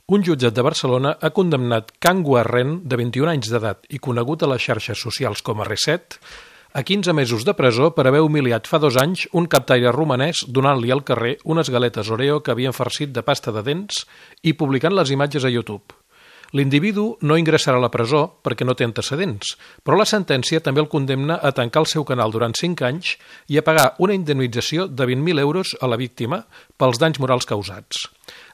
Un jutjat de Barcelona ha condemnat Can Guarren, de 21 anys d'edat i conegut a les xarxes socials com a Reset, a 15 mesos de presó per haver humiliat fa 2 anys un captaire romanès donant-li al carrer unes galetes Oreo que havien farcit de pasta de dents i publicant les imatges a YouTube. L'individu no ingressarà a la presó perquè no té antecedents, però la sentència també el condemna a tancar el seu canal durant 5 anys i a pagar una indemnització de 20.000 euros a la víctima pels danys morals causats.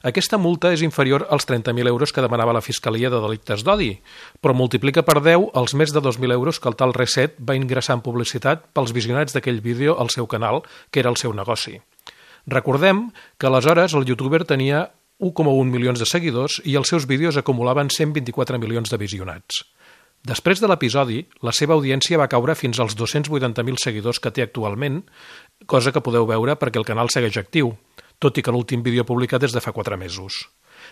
Aquesta multa és inferior als 30.000 euros que demanava la Fiscalia de Delictes d'Odi, però multiplica per 10 els més de 2.000 euros que el tal Reset va ingressar en publicitat pels visionats d'aquell vídeo al seu canal, que era el seu negoci. Recordem que aleshores el youtuber tenia 1,1 milions de seguidors i els seus vídeos acumulaven 124 milions de visionats. Després de l'episodi, la seva audiència va caure fins als 280.000 seguidors que té actualment, cosa que podeu veure perquè el canal segueix actiu, tot i que l'últim vídeo publicat és de fa 4 mesos.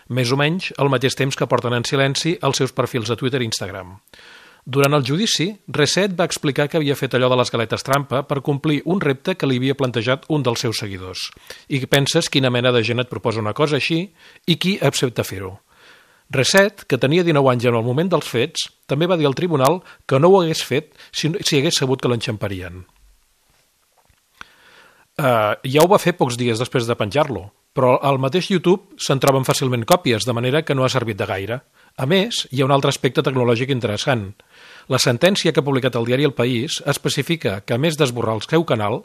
Més o menys al mateix temps que porten en silenci els seus perfils a Twitter i Instagram. Durant el judici, Reset va explicar que havia fet allò de les galetes trampa per complir un repte que li havia plantejat un dels seus seguidors. I penses quina mena de gent et proposa una cosa així i qui accepta fer-ho. Reset, que tenia 19 anys en el moment dels fets, també va dir al tribunal que no ho hagués fet si hagués sabut que l'enxamparien. Ja ho va fer pocs dies després de penjar-lo, però al mateix YouTube se'n troben fàcilment còpies, de manera que no ha servit de gaire. A més, hi ha un altre aspecte tecnològic interessant. La sentència que ha publicat el diari El País especifica que, a més d'esborrar el seu canal,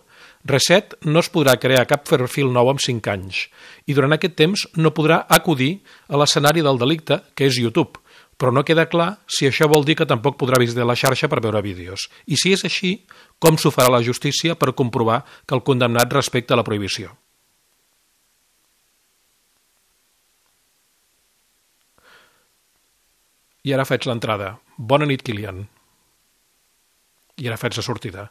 Reset no es podrà crear cap perfil nou en 5 anys i durant aquest temps no podrà acudir a l'escenari del delicte, que és YouTube, però no queda clar si això vol dir que tampoc podrà visitar la xarxa per veure vídeos. I si és així, com s'ho farà la justícia per comprovar que el condemnat respecta la prohibició? I ara faig l'entrada. Bona nit, Kilian. I ara faig la sortida.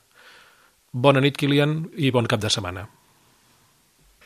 Bona nit, Kilian, i bon cap de setmana.